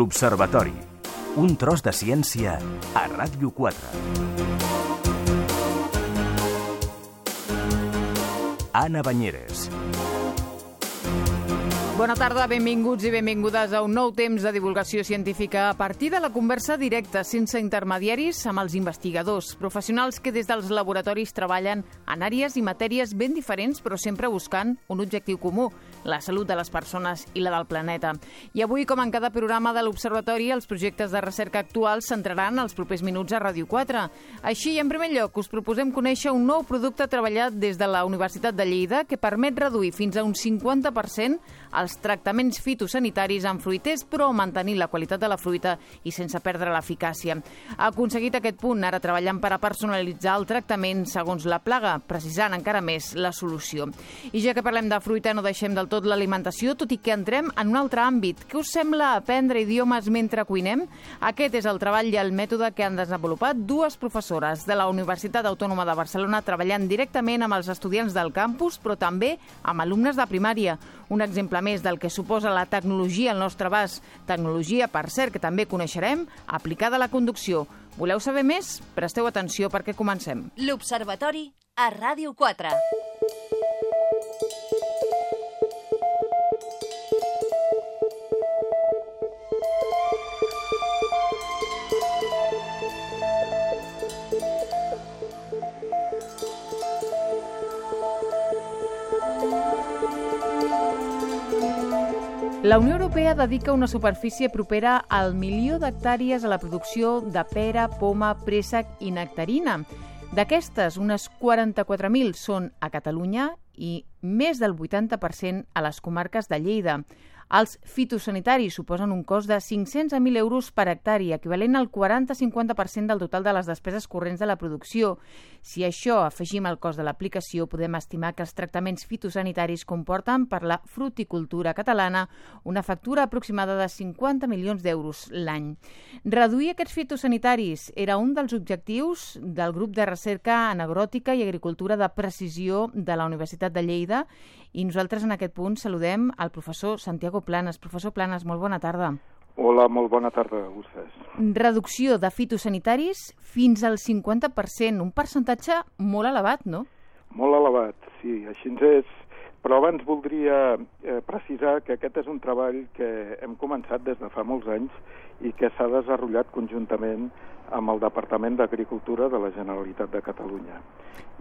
L'Observatori. Un tros de ciència a Ràdio 4. Anna Banyeres. Bona tarda, benvinguts i benvingudes a un nou temps de divulgació científica a partir de la conversa directa, sense intermediaris, amb els investigadors, professionals que des dels laboratoris treballen en àrees i matèries ben diferents, però sempre buscant un objectiu comú, la salut de les persones i la del planeta. I avui, com en cada programa de l'Observatori, els projectes de recerca actuals centraran els propers minuts a Ràdio 4. Així, en primer lloc, us proposem conèixer un nou producte treballat des de la Universitat de Lleida que permet reduir fins a un 50% els tractaments fitosanitaris en fruiters, però mantenir la qualitat de la fruita i sense perdre l'eficàcia. Ha aconseguit aquest punt, ara treballant per a personalitzar el tractament segons la plaga, precisant encara més la solució. I ja que parlem de fruita, no deixem del tot l'alimentació, tot i que entrem en un altre àmbit. Què us sembla aprendre idiomes mentre cuinem? Aquest és el treball i el mètode que han desenvolupat dues professores de la Universitat Autònoma de Barcelona treballant directament amb els estudiants del campus, però també amb alumnes de primària. Un exemple més del que suposa la tecnologia al nostre abast. Tecnologia, per cert, que també coneixerem, aplicada a la conducció. Voleu saber més? Presteu atenció perquè comencem. L'Observatori a Ràdio 4. La Unió Europea dedica una superfície propera al 1.000.000 d'hectàrees a la producció de pera, poma, préssec i nectarina. D'aquestes, unes 44.000 són a Catalunya i més del 80% a les comarques de Lleida. Els fitosanitaris suposen un cost de 500 a 1.000 euros per hectàrea, equivalent al 40-50% del total de les despeses corrents de la producció. Si a això afegim el cost de l'aplicació, podem estimar que els tractaments fitosanitaris comporten per la fruticultura catalana una factura aproximada de 50 milions d'euros l'any. Reduir aquests fitosanitaris era un dels objectius del grup de recerca en agròtica i agricultura de precisió de la Universitat de Lleida, i nosaltres en aquest punt saludem al professor Santiago Planas. Professor Planas, molt bona tarda. Hola, molt bona tarda a vostès. Reducció de fitosanitaris fins al 50%, un percentatge molt elevat, no? Molt elevat, sí, així és. Però abans voldria precisar que aquest és un treball que hem començat des de fa molts anys i que s'ha desenvolupat conjuntament amb el Departament d'Agricultura de la Generalitat de Catalunya.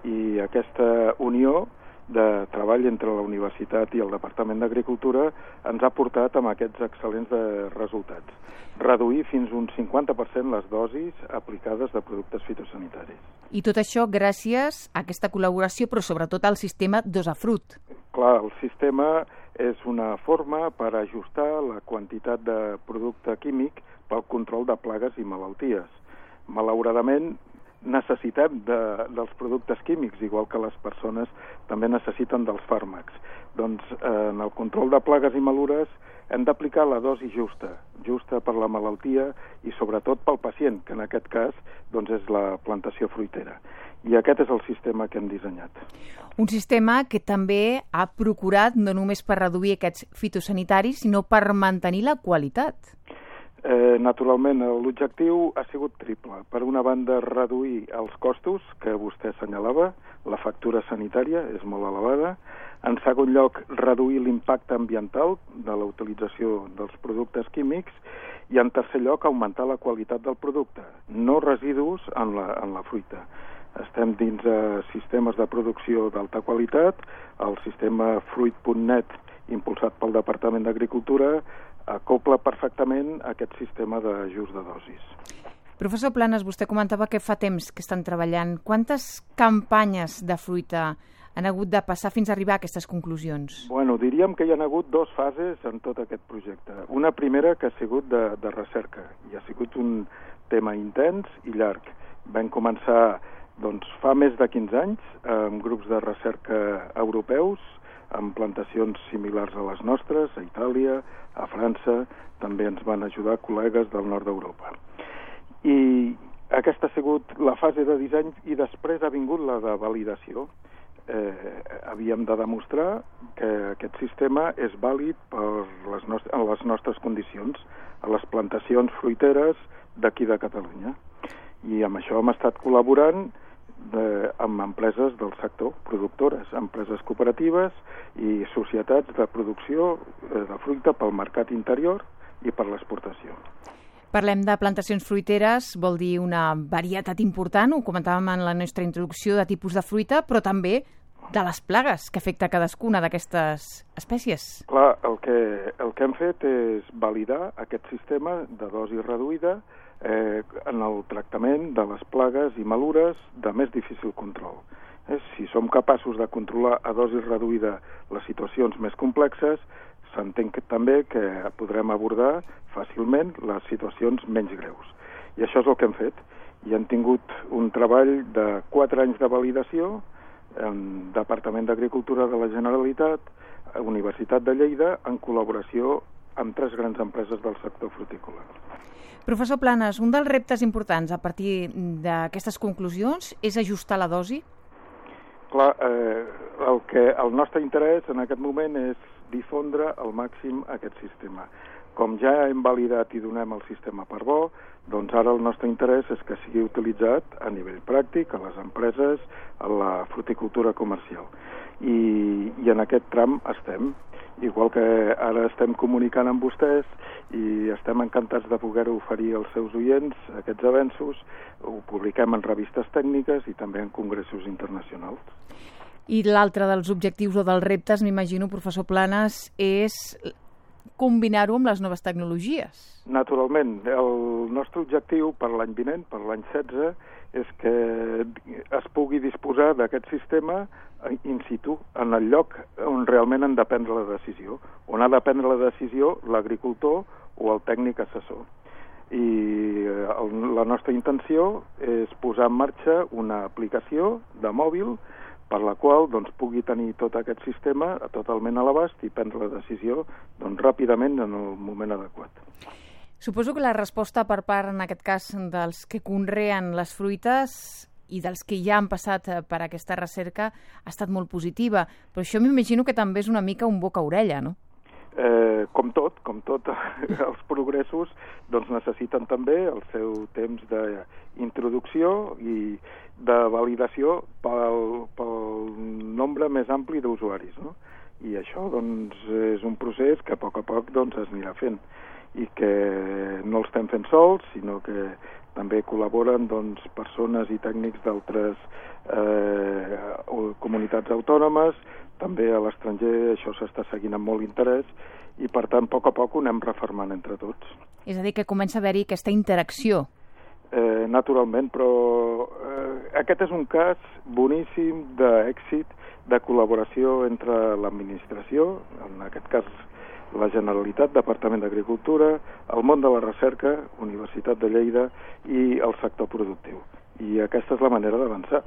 I aquesta unió de treball entre la Universitat i el Departament d'Agricultura ens ha portat amb aquests excel·lents resultats. Reduir fins un 50% les dosis aplicades de productes fitosanitaris. I tot això gràcies a aquesta col·laboració, però sobretot al sistema Dosafrut. Clar, el sistema és una forma per ajustar la quantitat de producte químic pel control de plagues i malalties. Malauradament, necessitem dels productes químics, igual que les persones també necessiten dels fàrmacs. Doncs en el control de plagues i malures hem d'aplicar la dosi justa per la malaltia i sobretot pel pacient, que en aquest cas doncs, és la plantació fruitera. I aquest és el sistema que hem dissenyat. Un sistema que també ha procurat no només per reduir aquests fitosanitaris, sinó per mantenir la qualitat. Naturalment, l'objectiu ha sigut triple. Per una banda, reduir els costos, que vostè assenyalava, la factura sanitària és molt elevada. En segon lloc, reduir l'impacte ambiental de la utilització dels productes químics. I en tercer lloc, augmentar la qualitat del producte, no residus en la fruita. Estem dins de sistemes de producció d'alta qualitat. El sistema Fruit.net, impulsat pel Departament d'Agricultura, acopla perfectament aquest sistema d'ajust de dosis. Professor Planas, vostè comentava que fa temps que estan treballant. Quantes campanyes de fruita han hagut de passar fins a arribar a aquestes conclusions? Bueno, diríem que hi ha hagut dues fases en tot aquest projecte. Una primera que ha sigut de recerca, i ha sigut un tema intens i llarg. Vam començar fa més de 15 anys amb grups de recerca europeus, amb plantacions similars a les nostres, a Itàlia, a França, també ens van ajudar col·legues del nord d'Europa. I aquesta ha sigut la fase de disseny i després ha vingut la de validació. havíem de demostrar que aquest sistema és vàlid per les nostres condicions, a les plantacions fruiteres d'aquí de Catalunya. I amb això hem estat col·laborant amb empreses del sector, productores, empreses cooperatives i societats de producció de fruita pel mercat interior i per l'exportació. Parlem de plantacions fruiteres, vol dir una varietat important, ho comentàvem en la nostra introducció, de tipus de fruita, però també de les plagues que afecta cadascuna d'aquestes espècies. Clar, el que hem fet és validar aquest sistema de dosi reduïda en el tractament de les plagues i malures de més difícil control. Si som capaços de controlar a dosi reduïda les situacions més complexes, s'entén també que podrem abordar fàcilment les situacions menys greus. I això és el que hem fet. I hem tingut un treball de 4 anys de validació en Departament d'Agricultura de la Generalitat, Universitat de Lleida, en col·laboració amb 3 grans empreses del sector frutícola. Professor Planes, un dels reptes importants a partir d'aquestes conclusions és ajustar la dosi? Clar, el nostre interès en aquest moment és difondre al màxim aquest sistema. Com ja hem validat i donem el sistema per bo, doncs ara el nostre interès és que sigui utilitzat a nivell pràctic, a les empreses, a la fruticultura comercial. I en aquest tram estem. Igual que ara estem comunicant amb vostès i estem encantats de poder-ho oferir als seus oients, aquests avenços, ho publiquem en revistes tècniques i també en congressos internacionals. I l'altre dels objectius o dels reptes, m'imagino, professor Planes, és combinar-ho amb les noves tecnologies. Naturalment. El nostre objectiu per l'any vinent, per l'any 16, és que es pugui disposar d'aquest sistema in situ, en el lloc on realment han de prendre la decisió, on ha de prendre la decisió l'agricultor o el tècnic assessor. I la nostra intenció és posar en marxa una aplicació de mòbil per la qual pugui tenir tot aquest sistema totalment a l'abast i prendre la decisió ràpidament en el moment adequat. Suposo que la resposta per part, en aquest cas, dels que conreen les fruites i dels que ja han passat per aquesta recerca ha estat molt positiva, però això m'imagino que també és una mica un boca-orella, no? Com tot, els progressos necessiten també el seu temps d'introducció i de validació pel nombre més ampli d'usuaris, no? I això és un procés que a poc es anirà fent i que no el estem fent sols, sinó que també col·laboren persones i tècnics d'altres comunitats autònomes. També a l'estranger això s'està seguint amb molt interès i, per tant, a poc ho anem refermant entre tots. És a dir, que comença a haver-hi aquesta interacció. Naturalment, però aquest és un cas boníssim d'èxit de col·laboració entre l'administració, en aquest cas la Generalitat, Departament d'Agricultura, el món de la recerca, Universitat de Lleida i el sector productiu. I aquesta és la manera d'avançar.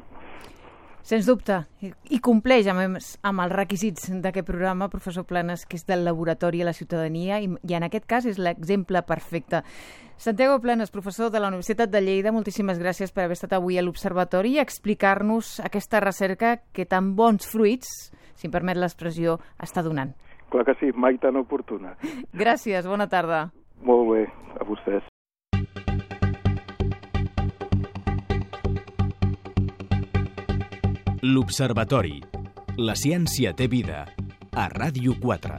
Sens dubte, i compleix amb els requisits d'aquest programa, professor Planes, que és del laboratori a la ciutadania, i en aquest cas és l'exemple perfecte. Santiago Planes, professor de la Universitat de Lleida, moltíssimes gràcies per haver estat avui a l'Observatori i explicar-nos aquesta recerca que tan bons fruits, si em permet l'expressió, està donant. Clar que sí, mai tan oportuna. Gràcies, bona tarda. Molt bé, a vostès. L'Observatori. La ciència té vida. A Ràdio 4.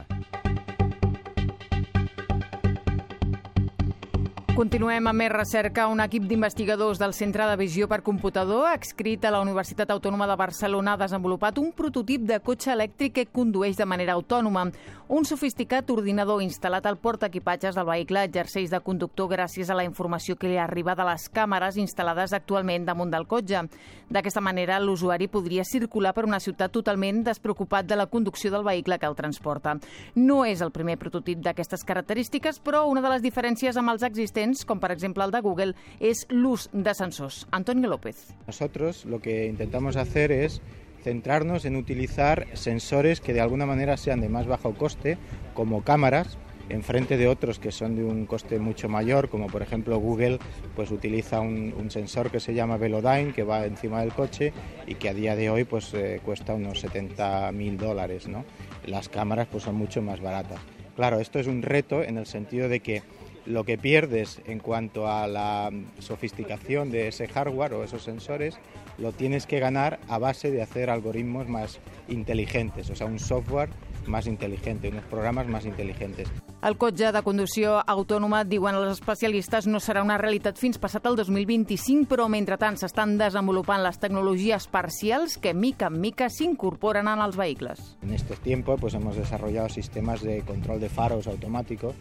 Continuem amb més recerca. Un equip d'investigadors del Centre de Visió per Computador, adscrit a la Universitat Autònoma de Barcelona, ha desenvolupat un prototip de cotxe elèctric que condueix de manera autònoma. Un sofisticat ordinador instal·lat al portaequipatges del vehicle exerceix de conductor gràcies a la informació que li arriba de les càmeres instal·lades actualment damunt del cotxe. D'aquesta manera, l'usuari podria circular per una ciutat totalment despreocupat de la conducció del vehicle que el transporta. No és el primer prototip d'aquestes característiques, però una de les diferències amb els existents, com per exemple el de Google, es l'ús de sensors. Antonio López. Nosotros lo que intentamos hacer es centrarnos en utilizar sensores que de alguna manera sean de más bajo coste, como cámaras, en frente de otros que son de un coste mucho mayor, como por ejemplo Google pues utiliza un sensor que se llama Velodyne, que va encima del coche y que a día de hoy pues cuesta unos $70.000, ¿no? Las cámaras pues son mucho más baratas. Claro, esto es un reto en el sentido de que lo que pierdes en cuanto a la sofisticación de ese hardware o esos sensores, lo tienes que ganar a base de hacer algoritmos más inteligentes, o sea, un software más inteligente, unos programes més intel·ligents. El cotxe de conducció autònoma, diuen els especialistes, no serà una realitat fins passat el 2025, però mentrestant s'estan desenvolupant les tecnologies parcials que mica en mica s'incorporen en els vehicles. En estos tiempos hemos desarrollado sistemas de control de faros automáticos,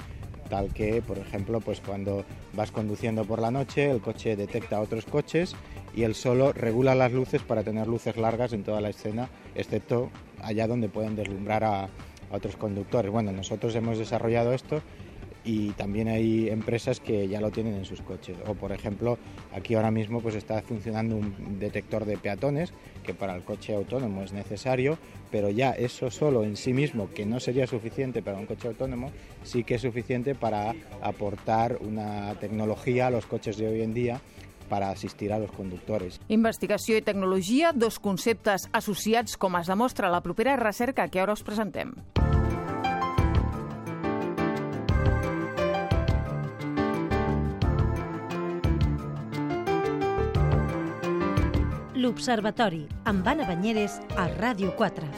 tal que, por ejemplo, cuando vas conduciendo por la noche, el coche detecta otros coches y él solo regula las luces para tener luces largas en toda la escena, excepto allá donde pueden deslumbrar a otros conductores. Bueno, nosotros hemos desarrollado esto y también hay empresas que ya lo tienen en sus coches. O, por ejemplo, aquí ahora mismo está funcionando un detector de peatones, que para el coche autónomo es necesario, pero ya eso solo en sí mismo, que no sería suficiente para un coche autónomo, sí que es suficiente para aportar una tecnología a los coches de hoy en día para assistir a los conductores. Investigació i tecnologia, dos conceptes associats, com es demostra a la propera recerca que ara us presentem. L'Observatori, amb Anna Banyeres, a Ràdio 4.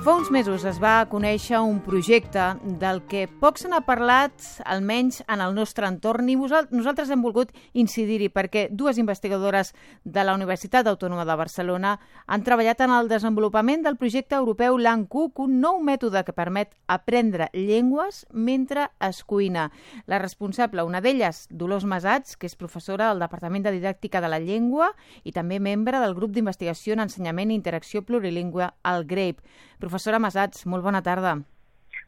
Fa uns mesos es va conèixer un projecte del que poc se n'ha parlat, almenys en el nostre entorn, i nosaltres hem volgut incidir-hi perquè dues investigadores de la Universitat Autònoma de Barcelona han treballat en el desenvolupament del projecte europeu Langcook, un nou mètode que permet aprendre llengües mentre es cuina. La responsable, una d'elles, Dolors Masats, que és professora al Departament de Didàctica de la Llengua i també membre del grup d'investigació en ensenyament i interacció plurilingüe, el GRAPE. Professora Masats, molt bona tarda.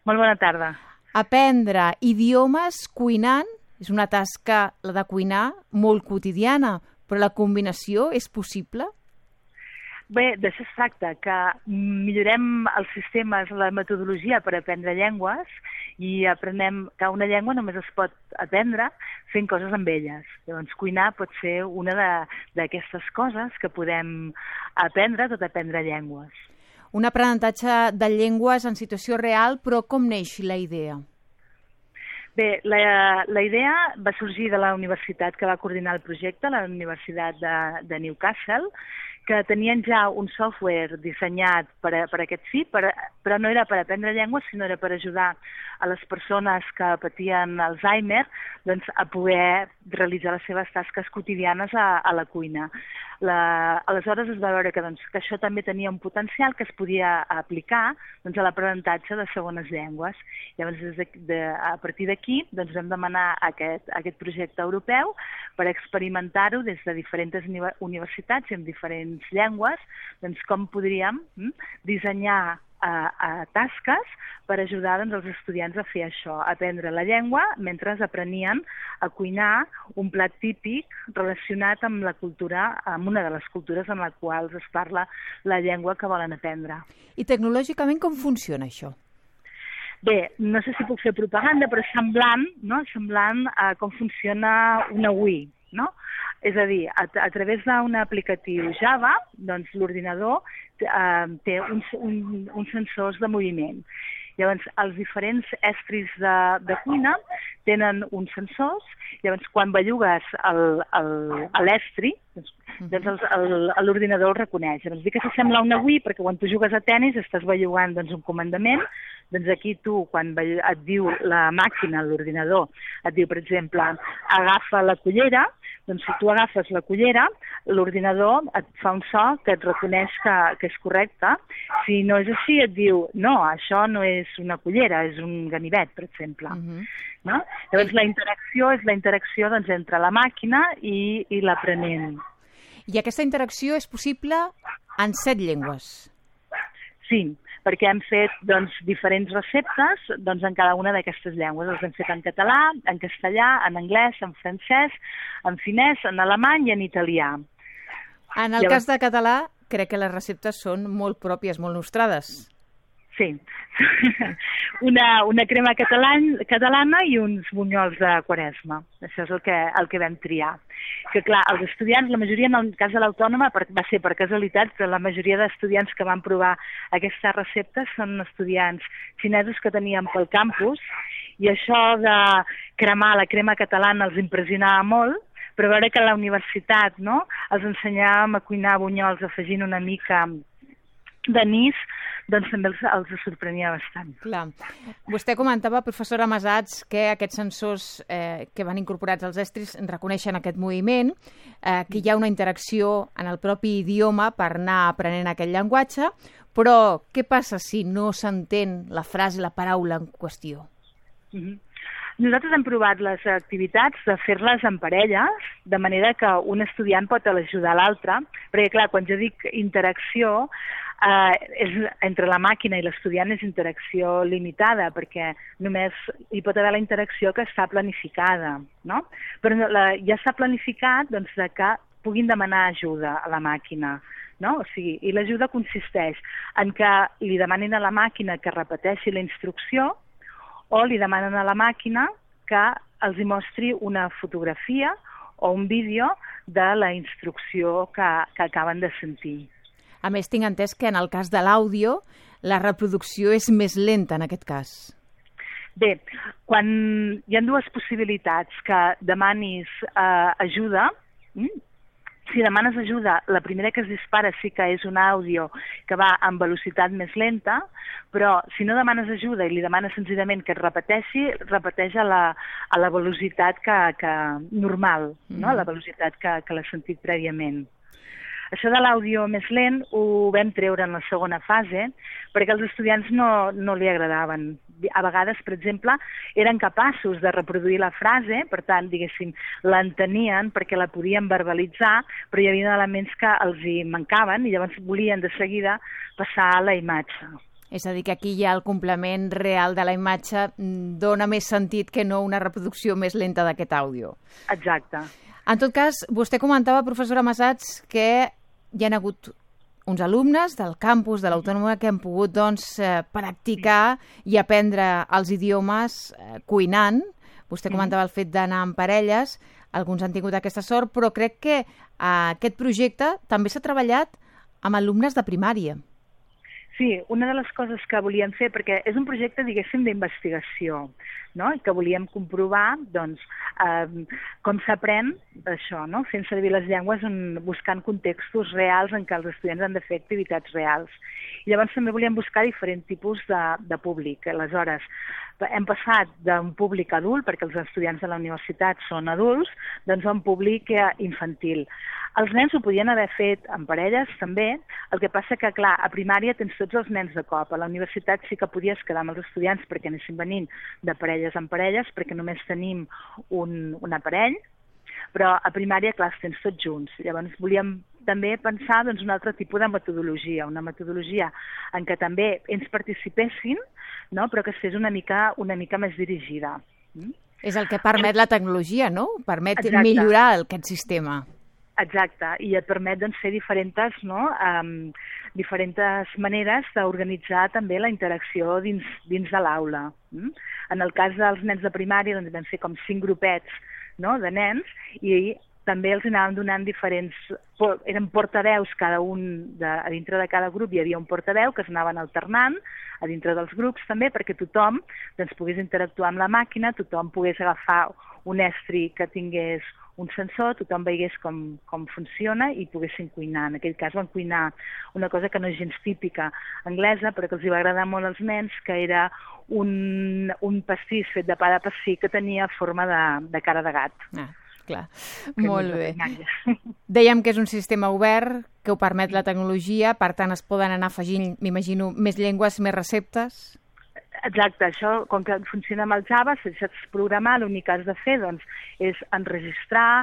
Molt bona tarda. Aprendre idiomes cuinant és una tasca, la de cuinar, molt quotidiana, però la combinació és possible? Bé, d'això es tracta, que millorem els sistemes, la metodologia per aprendre llengües i aprenem que una llengua només es pot aprendre fent coses amb elles. Llavors, cuinar pot ser una d'aquestes coses que podem aprendre tot aprendre llengües. Un aprenentatge de llengües en situació real, però com neix la idea? Bé, la idea va sorgir de la universitat que va coordinar el projecte, la Universitat de Newcastle, que tenien ja un software dissenyat per aquest fi, però no era per aprendre llengües, sinó era per ajudar a les persones que patien Alzheimer a poder realitzar les seves tasques quotidianes a la cuina. Aleshores es va veure que això també tenia un potencial que es podia aplicar a l'aprenentatge de segones llengües. Llavors, a partir d'aquí vam demanar aquest projecte europeu per experimentar-ho des de diferents universitats i amb diferents llengües, com podríem dissenyar tasques per ajudar els estudiants a fer això, a aprendre la llengua mentre aprenien a cuinar un plat típic relacionat amb la cultura, amb una de les cultures en la qual es parla la llengua que volen aprendre. I tecnològicament com funciona això? Bé, no sé si puc fer propaganda, però semblant a com funciona una Wii, no? És a dir, a través d'un aplicatiu Java, l'ordinador té uns sensors de moviment. Llavors, els diferents estris de cuina tenen uns sensors, llavors quan bellugues l'estri, l'ordinador el reconeix. Llavors, dic que s'assembla a una Wii perquè quan tu jugues a tennis estàs bellugant un comandament, aquí tu, quan et diu la màquina, l'ordinador, et diu, per exemple, agafa la cullera, si tu agafes la cullera, l'ordinador et fa un so que et reconeix que és correcte. Si no és així, et diu, no, això no és una cullera, és un ganivet, per exemple. No? Llavors, la interacció és la interacció entre la màquina i l'aprenent. I aquesta interacció és possible en 7 llengües? Sí, perquè hem fet diferents receptes en cada una d'aquestes llengües. Les hem fet en català, en castellà, en anglès, en francès, en finès, en alemany i en italià. En el cas de català, crec que les receptes són molt pròpies, molt nostrades. Sí, una crema catalana i uns bunyols de Quaresma. Això és el que vam triar. Que clar, els estudiants, la majoria, en el cas de l'Autònoma, va ser per casualitat, però la majoria d'estudiants que van provar aquestes receptes són estudiants xinesos que teníem pel campus I això de cremar la crema catalana els impressionava molt, però veure que a la universitat, no?, els ensenyàvem a cuinar bunyols afegint una mica d'anís, doncs també els sorprenia bastant. Clar. Vostè comentava, professora Masats, que aquests sensors que van incorporats als estris reconeixen aquest moviment, que hi ha una interacció en el propi idioma per anar aprenent aquest llenguatge, però què passa si no s'entén la frase, la paraula en qüestió? Nosaltres hem provat les activitats de fer-les en parelles, de manera que un estudiant pot ajudar l'altre, perquè clar, quan jo dic interacció, és entre la màquina i l'estudiant és interacció limitada, perquè només hi pot haver la interacció que està planificada, no? Però ja s'ha planificat doncs, que puguin demanar ajuda a la màquina, no? O sigui, i l'ajuda consisteix en que li demanin a la màquina que repeteixi la instrucció, o li demanen a la màquina que els hi mostri una fotografia o un vídeo de la instrucció que acaben de sentir. A més, tinc entès que en el cas de l'àudio la reproducció és més lenta en aquest cas. Bé, quan hi ha dues possibilitats, que demanis ajuda, si demanes ajuda, la primera que es dispara sí que és un àudio que va amb velocitat més lenta, però si no demanes ajuda i li demanes senzillament que es repeteixi, repeteix a la velocitat normal, no? La velocitat que l'ha sentit prèviament. Això de l'àudio més lent ho vam treure en la segona fase perquè els estudiants no li agradaven. A vegades, per exemple, eren capaços de reproduir la frase, per tant, diguéssim, l'entenien perquè la podien verbalitzar, però hi havia elements que els hi mancaven i llavors volien de seguida passar a la imatge. És a dir, que aquí ja el complement real de la imatge dona més sentit que no una reproducció més lenta d'aquest àudio. Exacte. En tot cas, vostè comentava, professora Masats, que hi ha hagut uns alumnes del campus de l'Autònoma que han pogut practicar i aprendre els idiomes cuinant. Vostè comentava el fet d'anar en parelles, alguns han tingut aquesta sort, però crec que aquest projecte també s'ha treballat amb alumnes de primària. Sí, una de les coses que volíem fer, perquè és un projecte, diguéssim, d'investigació, no? I que volíem comprovar, doncs, com s'aprèn això, no? Fent servir les llengües, buscant contextos reals en què els estudiants han de fer activitats reals. I llavors també volíem buscar diferents tipus de públic. Aleshores, hem passat d'un públic adult, perquè els estudiants de la universitat són adults, doncs a un públic infantil. Els nens ho podien haver fet en parelles, també. El que passa que, clar, a primària tens tots els nens de cop. A la universitat sí que podies quedar amb els estudiants perquè anessin venint de parelles en parelles, perquè només tenim un aparell, però a primària, clar, els tens tots junts. Llavors volíem també pensar doncs, un altre tipus de metodologia, una metodologia en què també ells participessin, no? Però que es fes una mica més dirigida. És el que permet la tecnologia, no? Permet millorar aquest sistema. Exacte, i et permet doncs, fer diferents maneres d'organitzar també la interacció dins de l'aula. En el cas dels nens de primària doncs, vam fer com 5 grupets, no?, de nens, i també els anàvem donant eren portaveus cada un, a dintre de cada grup hi havia un portaveu que es anaven alternant a dintre dels grups també perquè tothom doncs, pogués interactuar amb la màquina, tothom pogués agafar un estri que tingués un sensor, tothom veiés com funciona i poguessin cuinar. En aquell cas van cuinar una cosa que no és gens típica anglesa, però que els va agradar molt als nens, que era un pastís fet de pa de pessic que tenia forma de cara de gat. Clar, molt bé. Dèiem que és un sistema obert, que ho permet la tecnologia, per tant es poden anar afegint, m'imagino, més llengües, més receptes? Exacte, això, com que funciona amb el Java, si saps programar, l'únic que has de fer doncs, és enregistrar.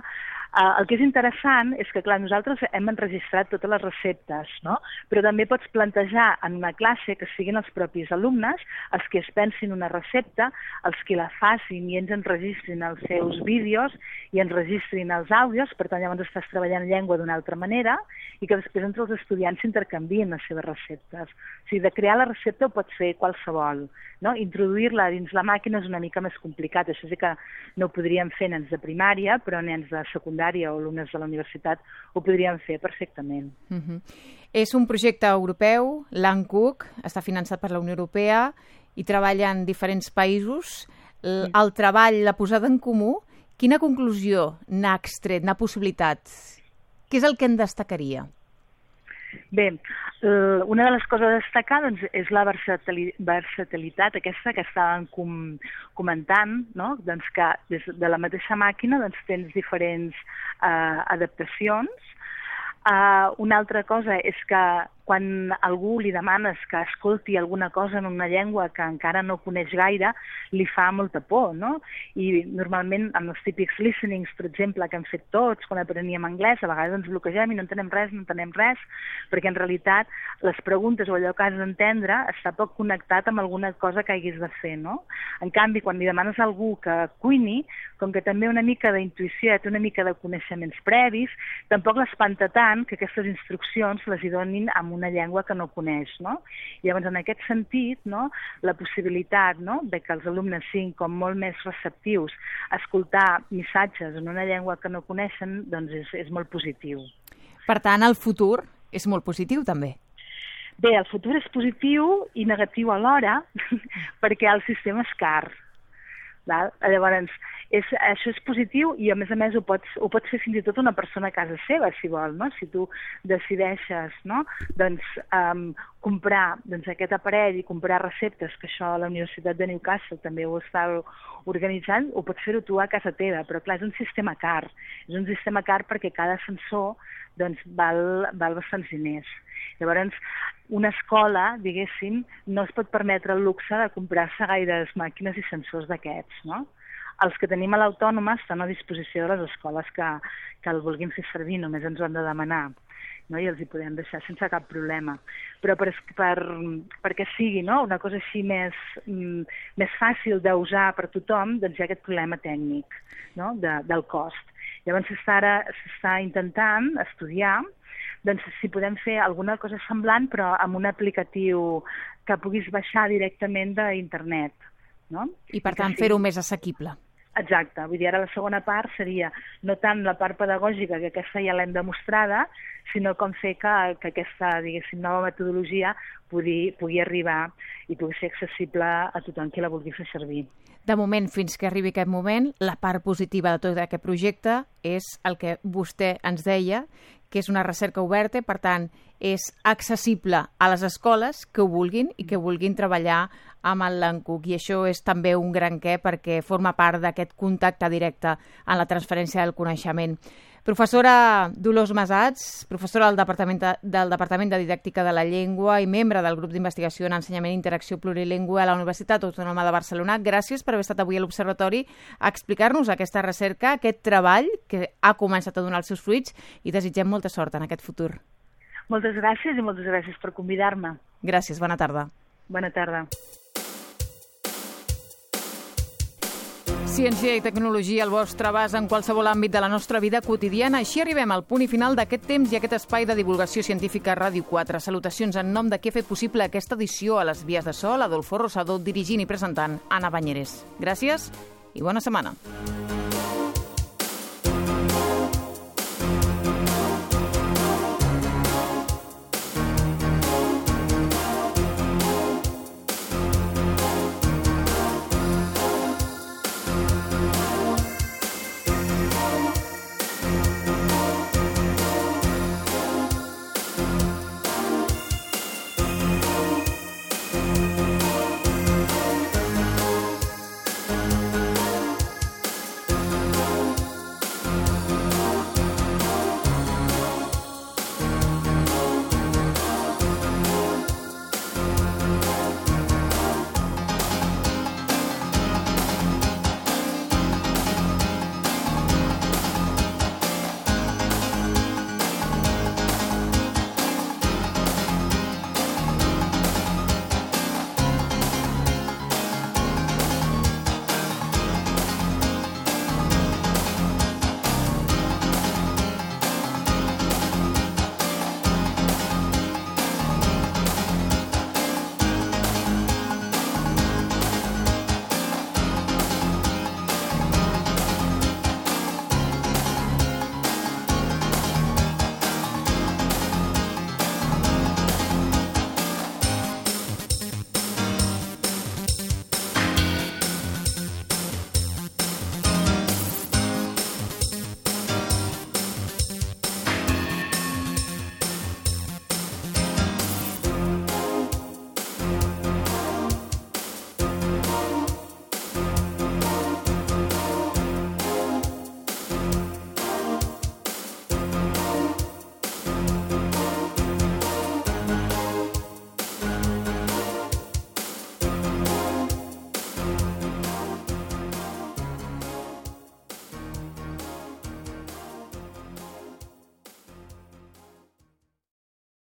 El que és interessant és que, clar, nosaltres hem enregistrat totes les receptes, no? Però també pots plantejar en una classe que siguin els propis alumnes els que es pensin una recepta, els que la facin i ens enregistrin els seus vídeos i enregistrin els àudios, per tant llavors estàs treballant llengua d'una altra manera i que després entre els estudiants s'intercanvien les seves receptes. O sigui, de crear la recepta ho pots fer qualsevol, no? Introduir-la dins la màquina és una mica més complicat, això sí que no ho podríem fer nens de primària, però nens de secundària o alumnes de la universitat ho podrien fer perfectament. És un projecte europeu, l'ANCUC, està finançat per la Unió Europea i treballa en diferents països. el treball, la posada en comú, quina conclusió n'ha extret, n'ha possibilitat? Què és el que en destacaria? Bé, una de les coses a destacar doncs, és la versatilitat aquesta que estàvem comentant, no? Doncs que des de la mateixa màquina doncs, tens diferents adaptacions. Una altra cosa és que quan algú li demanes que escolti alguna cosa en una llengua que encara no coneix gaire, li fa molta por, no? I normalment amb els típics listenings, per exemple, que hem fet tots quan apreníem anglès, a vegades ens bloquegem i no entenem res, perquè en realitat les preguntes o allò que has d'entendre està poc connectat amb alguna cosa que haguis de fer, no? En canvi, quan li demanes a algú que cuini, com que també una mica d'intuïció, té una mica de coneixements previs, tampoc l'espanta tant que aquestes instruccions les hi donin amb una llengua que no coneix, no? Llavors, en aquest sentit, no, la possibilitat, no, de que els alumnes siguin com molt més receptius a escoltar missatges en una llengua que no coneixen, doncs és molt positiu. Per tant, el futur és molt positiu, també. Bé, el futur és positiu i negatiu alhora, perquè el sistema és car. Llavors, això és positiu i a més ho pots fer fins i tot una persona a casa seva, si vol, no? Si tu decideixes, no? Doncs, comprar aquest aparell i comprar receptes, que això a la Universitat de Newcastle també ho està organitzant, ho pots fer-ho tu a casa teva, però clar, és un sistema car. És un sistema car perquè cada sensor doncs, val bastants diners. Llavors, una escola, diguéssim, no es pot permetre el luxe de comprar-se gaires màquines i sensors d'aquests, no? Els que tenim a l'Autònoma estan a disposició de les escoles que el vulguin fer servir, només ens ho han de demanar, no? I els hi podem deixar sense cap problema. Però perquè sigui, no, una cosa així més fàcil d'usar per tothom, doncs hi ha aquest problema tècnic, no? Del cost. Llavors s'està intentant estudiar doncs si podem fer alguna cosa semblant però amb un aplicatiu que puguis baixar directament d'internet, no? I per tant fer-ho més assequible. Exacte, vull dir, ara la segona part seria no tant la part pedagògica, que aquesta ja l'hem demostrada, sinó com fer que aquesta, diguéssim, nova metodologia pugui arribar i pugui ser accessible a tothom qui la vulgui fer servir. De moment, fins que arribi aquest moment, la part positiva de tot aquest projecte és el que vostè ens deia, que és una recerca oberta, per tant, és accessible a les escoles que ho vulguin i que vulguin treballar amb el Learncook. I això és també un gran què perquè forma part d'aquest contacte directe en la transferència del coneixement. Professora Dolors Masats, professora del Departament de Didàctica de la Llengua i membre del grup d'investigació en ensenyament i interacció plurilingüe a la Universitat Autònoma de Barcelona, gràcies per haver estat avui a l'Observatori a explicar-nos aquesta recerca, aquest treball que ha començat a donar els seus fruits i desitgem molta sort en aquest futur. Moltes gràcies i moltes gràcies per convidar-me. Gràcies, bona tarda. Bona tarda. Ciència i tecnologia al vostre abast en qualsevol àmbit de la nostra vida quotidiana. Així arribem al punt i final d'aquest temps i aquest espai de divulgació científica a Ràdio 4. Salutacions en nom de qui ha fet possible aquesta edició a les vies de so, Adolfo Rosado, dirigint i presentant Anna Banyeres. Gràcies i bona setmana.